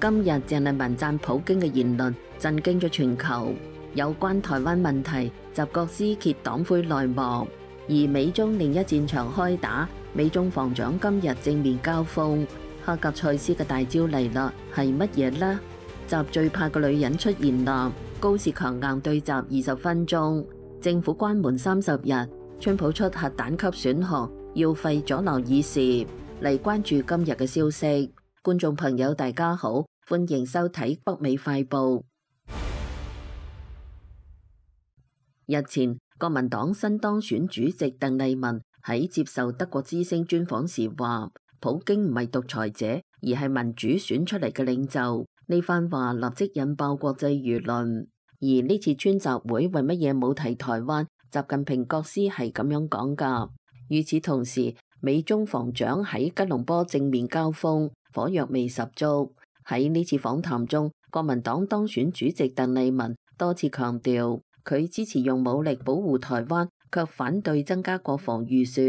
今日鄭麗文讚普京嘅言論震驚咗全球。有關台灣問題，習國師揭黨魁內幕，而美中另一戰場開打，美中防長今日正面交鋒。黑格塞斯嘅大招嚟啦，係乜嘢呢？習最怕個女人出現啦，高市強硬對習20分鐘，政府關門30日，川普出核彈級選項，要廢阻撓議事。嚟關注今日嘅消息，觀眾朋友大家好，歡迎收睇北美快報。日前，國民黨新當選主席鄧麗文喺接受德國之聲專訪時話，普京唔係獨裁者，而係民主選出嚟嘅領袖。呢番話立即引爆國際輿論。而呢次川習會為乜嘢冇提台灣？習近平國師係咁樣講㗎。與此同時，美中防長喺吉隆坡正面交鋒，火藥味十足。喺呢次訪談中，國民黨當選主席鄧麗文多次強調，佢支持用武力保護台灣，卻反對增加國防預算。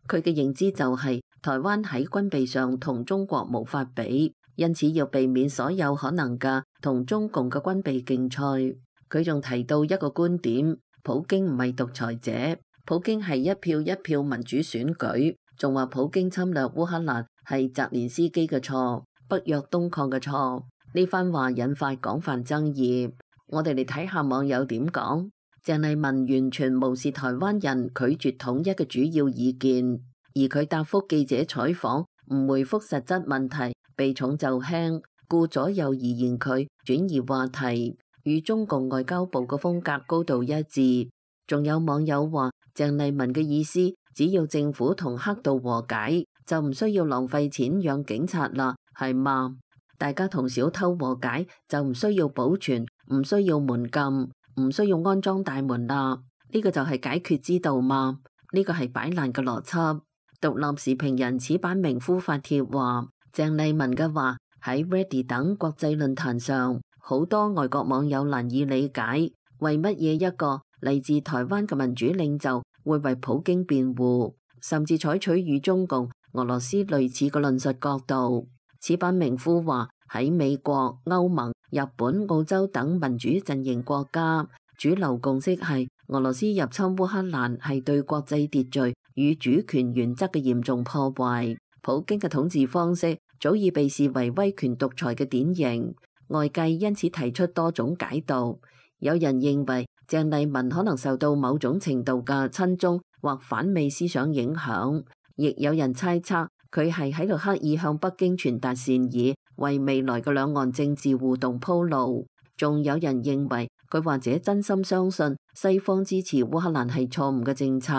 佢嘅認知就係台灣喺軍備上同中國無法比，因此要避免所有可能嘅同中共嘅軍備競賽。佢仲提到一個觀點，普京唔係獨裁者，普京係一票一票民主選舉。仲話普京侵略烏克蘭係澤連斯基嘅錯，北約東擴嘅錯。呢番話引發廣泛爭議。我哋嚟睇下網友點講。鄭麗文完全無視台灣人拒絕統一嘅主要意見，而佢答覆記者採訪唔回覆實質問題，避重就輕，顧左右而言佢，轉移話題，與中共外交部嘅風格高度一致。仲有網友話鄭麗文嘅意思，只要政府同黑道和解，就唔需要浪費錢養警察啦，係嘛？大家同小偷和解，就唔需要保全，唔需要門禁，唔需要安裝大門啦。呢個就係解決之道嘛？呢個係擺爛嘅邏輯。獨立時評人矢板明夫發帖話，鄭麗文嘅話喺 Reddit 等國際論壇上，好多外國網友難以理解，為乜嘢一個嚟自台灣嘅民主領袖會為普京辯護，甚至採取與中共、俄羅斯類似嘅論述角度。矢板明夫話喺美國、歐盟、日本、澳洲等民主陣營國家，主流共識係俄羅斯入侵烏克蘭係對國際秩序與主權原則嘅嚴重破壞。普京嘅統治方式早已被視為威權獨裁嘅典型，外界因此提出多種解讀。有人認為鄭麗文可能受到某種程度嘅親中或反美思想影響，亦有人猜測佢係喺度刻意向北京傳達善意，為未來嘅兩岸政治互動鋪路。仲有人認為佢或者真心相信西方支持烏克蘭係錯誤嘅政策，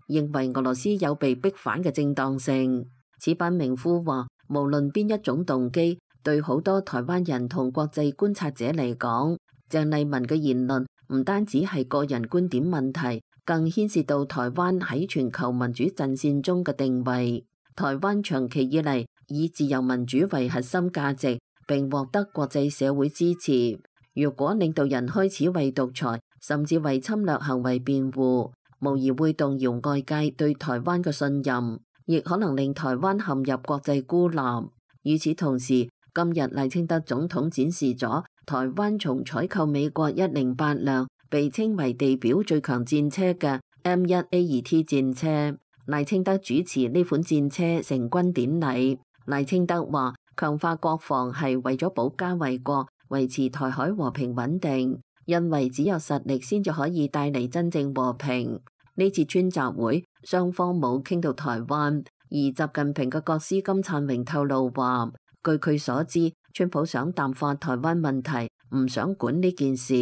認為俄羅斯有被逼反嘅正當性。矢板明夫話，無論邊一種動機，對好多台灣人同國際觀察者嚟講，鄭麗文嘅言論唔單止係個人觀點問題，更牽涉到台灣喺全球民主陣線中嘅定位。台灣長期以嚟以自由民主為核心價值，並獲得國際社會支持。如果領導人開始為獨裁甚至為侵略行為辯護，無疑會動搖外界對台灣嘅信任，亦可能令台灣陷入國際孤立。與此同時，今日賴清德總統展示咗台灣從採購美國108輛被稱為地表最強戰車嘅 M1A2T 戰車。賴清德主持呢款戰車成軍典禮。賴清德話，強化國防係為咗保家衛國，維持台海和平穩定，因為只有實力先至可以帶嚟真正和平。呢次川習會，雙方冇傾到台灣，而習近平嘅國師金燦榮透露話，據佢所知，川普想淡化台灣問題，唔想管呢件事，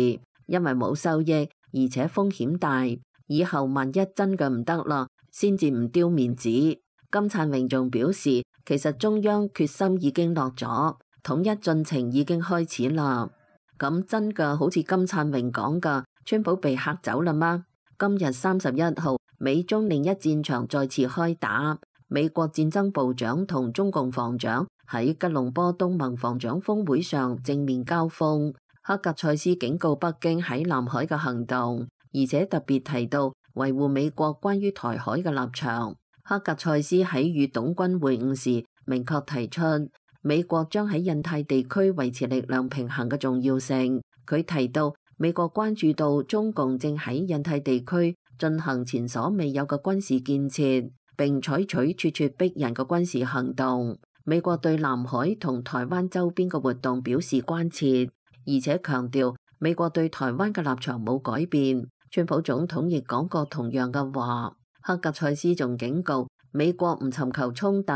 因為冇收益，而且風險大。以後萬一真嘅唔得啦，先至唔丟面子。金燦榮仲表示，其實中央決心已經落咗，統一進程已經開始啦。咁真嘅好似金燦榮講嘅，川普被嚇走啦嗎？今日31號，美中另一戰場再次開打。美國戰爭部長同中共防長喺吉隆坡東盟防長峰會上正面交鋒。黑格塞斯警告北京喺南海嘅行動，而且特別提到維護美國關於台海嘅立場。黑格塞斯喺與董軍會晤時明確提出，美國將喺印太地區維持力量平衡嘅重要性。佢提到，美國關注到中共正喺印太地區進行前所未有嘅軍事建設，並採取咄咄逼人嘅軍事行動。美國對南海同台灣周邊嘅活動表示關切，而且強調美國對台灣嘅立場冇改變。川普總統亦講過同樣嘅話。克格塞斯仲警告，美國唔尋求衝突，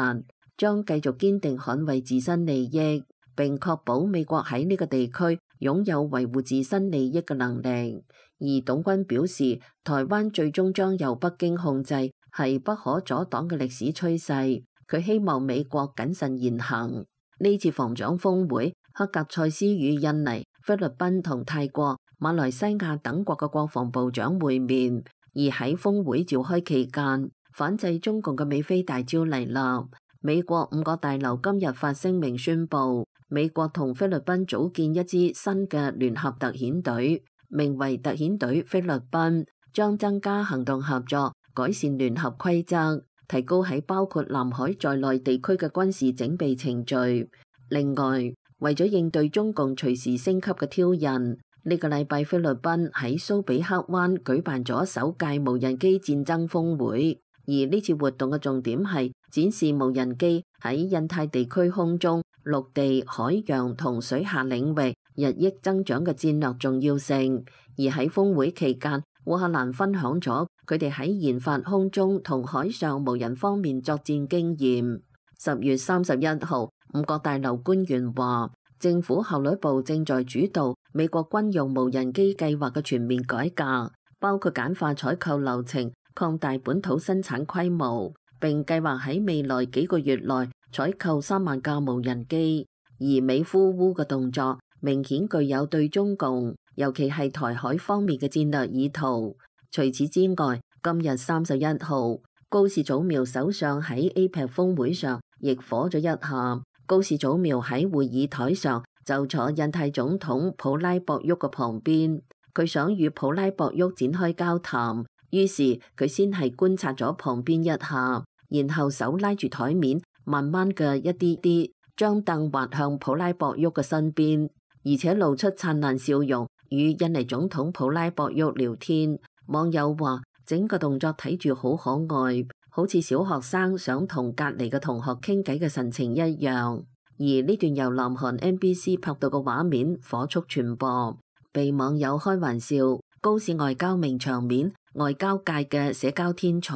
將繼續堅定捍衛自身利益，並確保美國喺呢個地區擁有維護自身利益嘅能力。而董軍表示，台灣最終將由北京控制，係不可阻擋嘅歷史趨勢。佢希望美國謹慎言行。呢次防長峰會，克格塞斯與印尼、菲律賓同泰國、馬來西亞等國嘅國防部長會面。而喺峰會召開期間，反制中共嘅美菲大招嚟啦。美國5個大樓今日發聲明宣布，美國同菲律賓組建一支新嘅聯合特遣隊，名為特遣隊菲律賓，將增加行動合作，改善聯合規則，提高喺包括南海在內地區嘅軍事整備程序。另外，為咗應對中共隨時升級嘅挑釁，呢個禮拜菲律賓喺蘇比克灣舉辦咗首屆無人機戰爭峰會，而呢次活動嘅重點係展示無人機喺印太地區空中、陸地、海洋同水下領域日益增長嘅戰略重要性。而喺峰會期間，烏克蘭分享咗佢哋喺研發空中同海上無人方面作戰經驗。10月31號，5個大樓官員話，政府效率部正在主導美國軍用無人機計劃嘅全面改革，包括簡化採購流程、擴大本土生產規模，並計劃喺未來幾個月內採購3萬架無人機。而美呼烏嘅動作明顯具有對中共，尤其係台海方面嘅戰略意圖。除此之外，今日31號，高市早苗首相喺 APEC 峰會上亦火咗一下。高市早苗喺會議台上就坐印太總統普拉博沃嘅旁邊，佢想與普拉博沃展開交談，於是佢先係觀察咗旁邊一下，然後手拉住台面，慢慢嘅一啲啲將凳滑向普拉博沃嘅身邊，而且露出燦爛笑容，與印尼總統普拉博沃聊天。網友話整個動作睇住好可愛，好似小學生想同隔離嘅同學傾偈嘅神情一樣。而呢段由南韓 MBC 拍到嘅畫面火速傳播，被網友開玩笑，高市外交名場面，外交界嘅社交天才。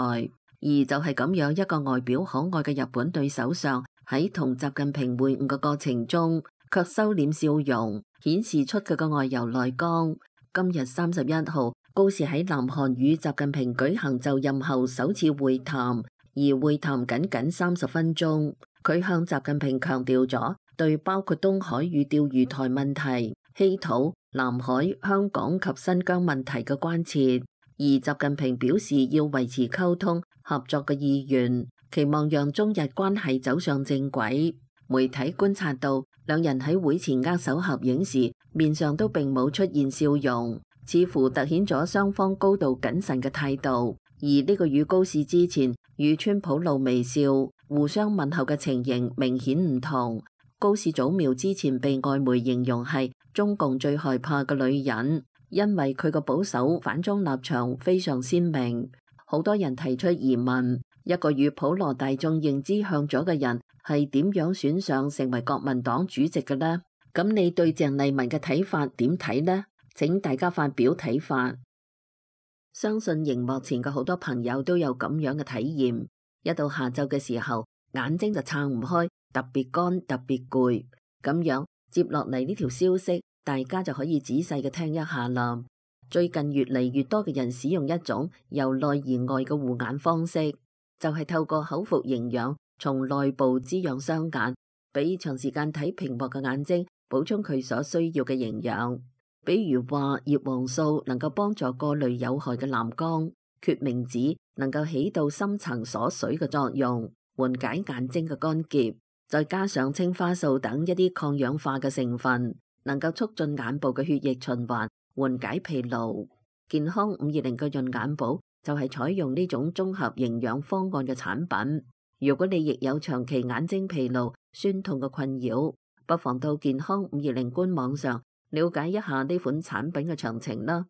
而就係咁樣一個外表可愛嘅日本女首相，喺同習近平會晤嘅過程中，卻收斂笑容，顯示出佢嘅外柔內剛。今日31號，高市喺南韓與習近平舉行就任後首次會談，而會談僅僅30分鐘。佢向習近平強調咗對包括東海與釣魚台問題、稀土、南海、香港及新疆問題嘅關切，而習近平表示要維持溝通合作嘅意願，期望讓中日關係走上正軌。媒體觀察到，兩人喺會前握手合影時，面上都並冇出現笑容，似乎凸顯咗雙方高度謹慎嘅態度。而呢個與高市之前與川普露微笑、互相問候嘅情形明顯唔同。高市早苗之前被外媒形容係中共最害怕嘅女人，因為佢個保守反中立場非常鮮明。好多人提出疑問，一個與普羅大眾認知向左嘅人係點樣選上成為國民黨主席嘅呢？咁你對鄭麗文嘅睇法點睇呢？請大家發表睇法。相信熒幕前嘅好多朋友都有咁樣嘅體驗，一到下晝嘅時候，眼睛就撐唔開，特別乾，特別攰。咁樣接落嚟呢條消息，大家就可以仔細嘅聽一下啦。最近越嚟越多嘅人使用一種由內而外嘅護眼方式，就係透過口服營養，從內部滋養雙眼，俾長時間睇屏幕嘅眼睛補充佢所需要嘅營養。比如話葉黃素能夠幫助過濾有害嘅藍光，決明子能夠起到深層鎖水嘅作用，緩解眼睛嘅乾澀，再加上青花素等一啲抗氧化嘅成分，能夠促進眼部嘅血液循環，緩解疲勞。健康520嘅潤眼寶就係採用呢種綜合營養方案嘅產品。如果你亦有長期眼睛疲勞，酸痛嘅困擾。不妨到健康520官網上了解一下呢款產品嘅詳情啦。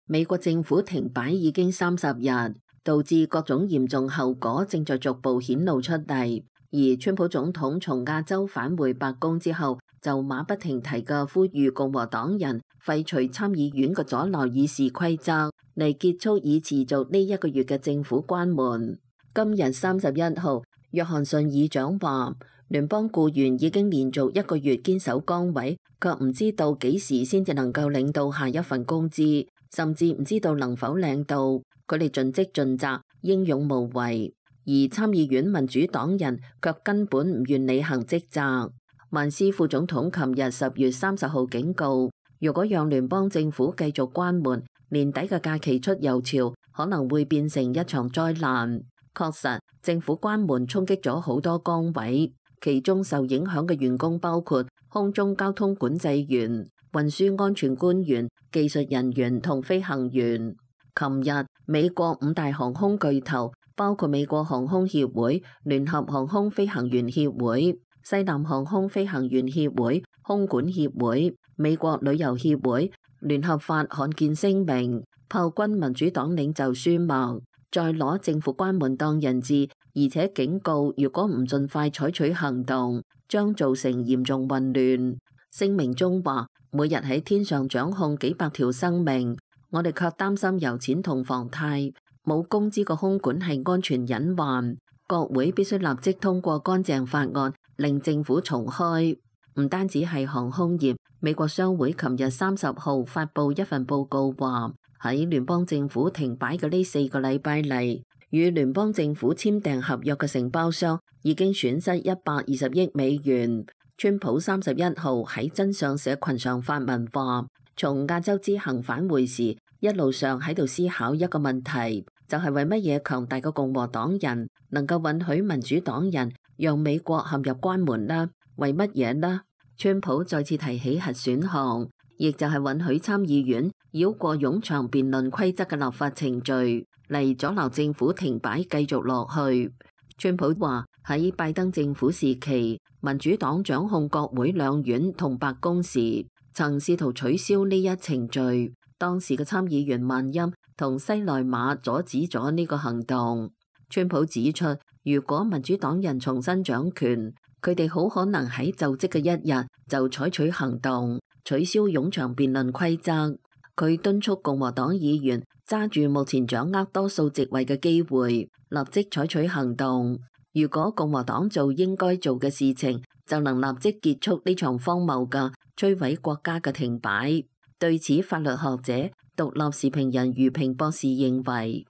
美國政府停擺已經30日，導致各種嚴重後果正在逐步顯露出嚟。而川普總統從亞洲返回白宮之後，就馬不停蹄嘅呼籲共和黨人廢除參議院嘅阻撓議事規則，嚟結束已持續呢1個月嘅政府關門。今日31號，約翰遜議長話，聯邦僱員已經連續1個月堅守崗位，卻唔知道幾時先至能夠領到下一份工資，甚至唔知道能否領到。佢哋盡職盡責，英勇無為，而參議院民主黨人卻根本唔願履行職責。曼斯副總統琴日10月30號警告，如果讓聯邦政府繼續關門，年底嘅假期出遊潮可能會變成一場災難。確實，政府關門衝擊咗好多崗位，其中受影響嘅員工包括空中交通管制員、運輸安全官員、技術人員同飛行員。琴日，美國5大航空巨頭，包括美國航空協會、聯合航空飛行員協會、西南航空飛行員協會、空管協會、美國旅遊協會，聯合發罕見聲明，炮轟民主黨領袖舒默，再攞政府關門當人質，而且警告如果唔盡快採取行動，將造成嚴重混亂。聲明中話，每日喺天上掌控幾百條生命，我哋卻擔心油錢同房貸，冇工資個空管係安全隱患。國會必須立即通過乾淨法案，令政府重開。唔單止係航空業，美國商會琴日30號發布一份報告話，喺聯邦政府停擺嘅呢4個禮拜嚟，與聯邦政府簽訂合約嘅承包商已經損失120億美元。川普31號喺真相社群上發文話，從亞洲之行返回時，一路上喺度思考一個問題，就係為乜嘢強大嘅共和黨人能夠允許民主黨人讓美國陷入關門呢？為乜嘢呢？川普再次提起核選項，亦就係允許參議院繞過冗長辯論規則嘅立法程序，嚟阻撓政府停擺繼續落去。川普話喺拜登政府時期，民主黨掌控國會兩院同白宮時，曾試圖取消呢一程序。當時嘅參議員曼欽同西內馬阻止咗呢個行動。川普指出，如果民主黨人重新掌權，佢哋好可能喺就職嘅一日就採取行動，取消冗長辯論規則。佢敦促共和黨議員揸住目前掌握多數席位嘅機會，立即採取行動。如果共和黨做應該做嘅事情，就能立即結束呢場荒謬嘅摧毀國家嘅停擺。對此，法律學者、獨立時評人余平博士認為，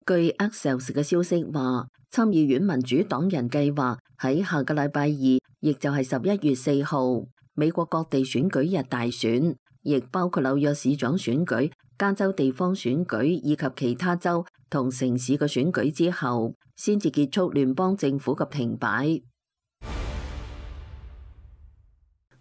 據 Axios 嘅消息話，參議院民主黨人計劃喺下個禮拜2，亦就係11月4號，美國各地選舉日大選，亦包括紐約市長選舉、加州地方選舉以及其他州同城市嘅選舉之後，先至結束聯邦政府嘅停擺。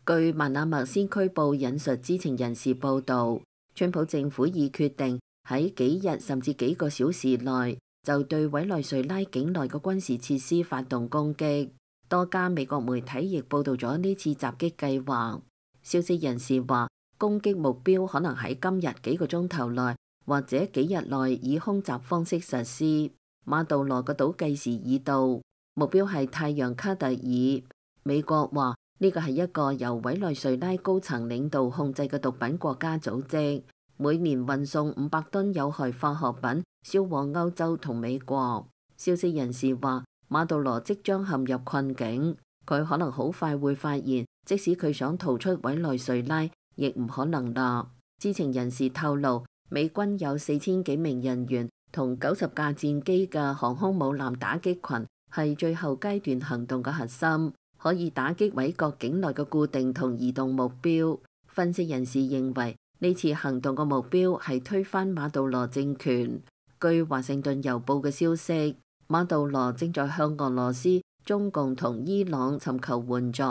據曼納默先驅報引述知情人士報導，川普政府已決定喺幾日甚至幾個小時內就對委內瑞拉境內嘅軍事設施發動攻擊。多家美國媒體亦報導咗呢次襲擊計劃。消息人士話，攻擊目標可能喺今日幾個鐘頭內或者幾日內以空襲方式實施。馬杜羅嘅倒計時已到，目標係太陽卡特爾。美國話，呢個係一個由委內瑞拉高層領導控制嘅毒品國家組織，每年運送500噸有害化學品銷往歐洲同美國。消息人士話，馬杜羅即將陷入困境，佢可能好快會發現，即使佢想逃出委內瑞拉，亦唔可能啦。知情人士透露，美軍有4000幾名人員同90架戰機嘅航空母艦打擊群係最後階段行動嘅核心，可以打擊委國境內嘅固定同移動目標。分析人士認為，呢次行動嘅目標係推翻馬杜羅政權。據華盛頓郵報嘅消息，馬杜羅正在向俄羅斯、中共同伊朗尋求援助，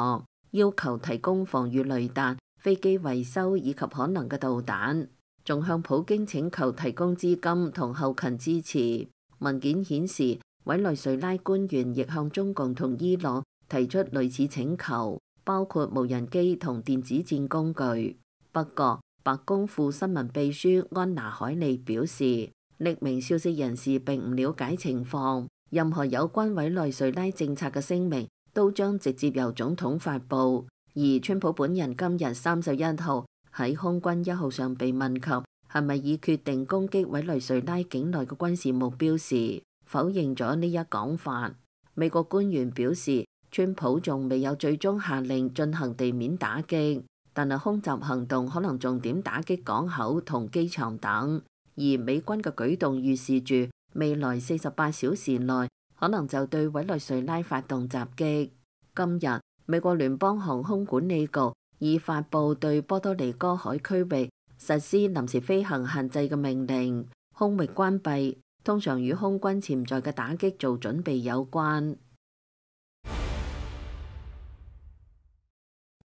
要求提供防禦雷達、飛機維修以及可能嘅導彈，仲向普京請求提供資金同後勤支持。文件顯示，委內瑞拉官員亦向中共同伊朗提出類似請求，包括無人機同電子戰工具。不過，白宮副新聞秘書安娜海利表示，匿名消息人士並唔了解情況，任何有關委內瑞拉政策嘅聲明都將直接由總統發布。而川普本人今日31號喺空軍1號上被問及係咪已決定攻擊委內瑞拉境內嘅軍事目標時，否認咗呢一講法。美國官員表示，川普仲未有最終下令進行地面打擊，但係空襲行動可能重點打擊港口同機場等。而美軍嘅舉動預示住未來48小時內可能就對委內瑞拉發動襲擊。今日美國聯邦航空管理局已發布對波多黎各海區域實施臨時飛行限制嘅命令，空域關閉通常與空軍潛在嘅打擊做準備有關。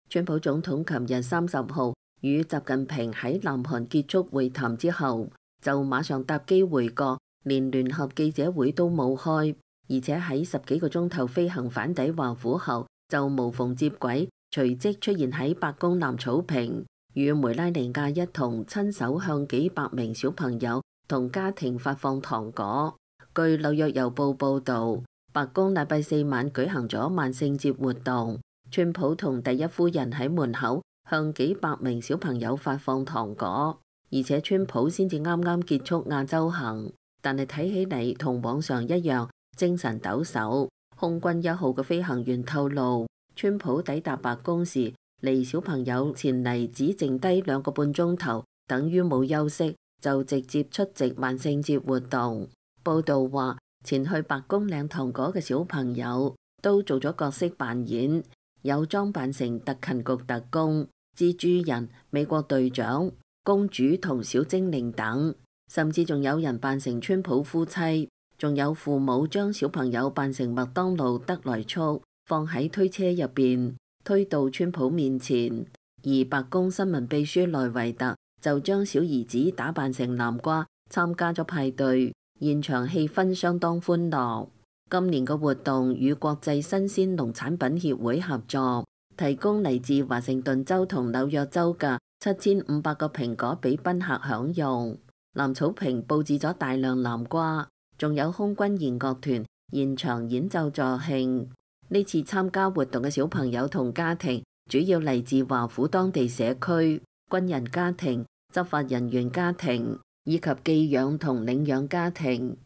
川普總統琴日30號與習近平喺南韓結束會談之後，就馬上搭機回國，連聯合記者會都冇開，而且喺10幾個鐘頭飛行返抵華府後，就無縫接軌，隨即出現喺白宮南草坪，與梅拉尼亞一同親手向幾百名小朋友同家庭發放糖果。據紐約郵報報導，白宮禮拜4晚舉行咗萬聖節活動，川普同第一夫人喺門口向幾百名小朋友發放糖果。而且川普先至啱啱結束亞洲行，但係睇起嚟同往常一樣精神抖擻。空軍1號嘅飛行員透露，川普抵達白宮時，離小朋友前嚟只剩低2個半鐘頭，等於冇休息，就直接出席萬聖節活動。報道話，前去白宮領糖果嘅小朋友都做咗角色扮演，有裝扮成特勤局特工、蜘蛛人、美國隊長、公主同小精靈等，甚至仲有人扮成川普夫妻，仲有父母將小朋友扮成麥當勞得來速，放喺推車入邊，推到川普面前。而白宮新聞秘書萊維特就將小兒子打扮成南瓜，參加咗派對，現場氣氛相當歡樂。今年嘅活動與國際新鮮農產品協會合作，提供嚟自華盛頓州同紐約州嘅7500個蘋果俾賓客享用。南草坪佈置咗大量南瓜，仲有空軍弦樂團現場演奏助興。呢次參加活動嘅小朋友同家庭主要嚟自華府當地社區、軍人家庭、執法人員家庭以及寄養同領養家庭。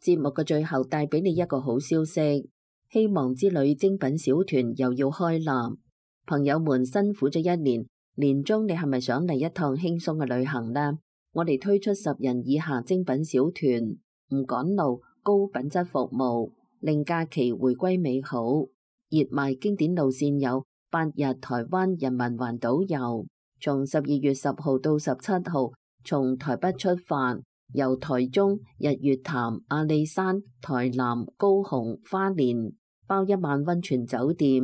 節目嘅最後帶俾你一個好消息，希望之旅精品小團又要開立。朋友們辛苦咗1年，年終你係咪想嚟一趟輕鬆嘅旅行呢？我哋推出10人以下精品小團，唔趕路，高品質服務，令假期回歸美好。熱賣經典路線有8日台灣人民環島遊，從12月10號到17號，從台北出發，由台中、日月潭、阿里山、台南、高雄、花蓮，包1晚溫泉酒店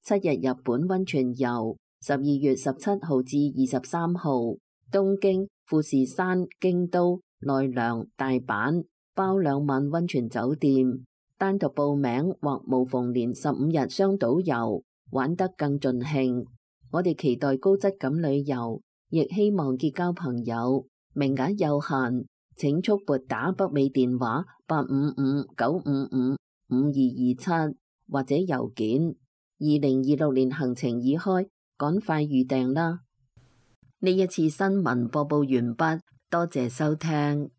，7日日本溫泉遊，12月17號至23號，東京、富士山、京都、奈良、大阪，包2晚溫泉酒店。單獨報名或無縫連15日雙島遊，玩得更盡興。我哋期待高質感旅遊，亦希望結交朋友。名額有限，請速撥打北美電話855-955-5227或者郵件。2026年行程已開，趕快預訂啦！呢一次新聞播報完畢，多謝收聽。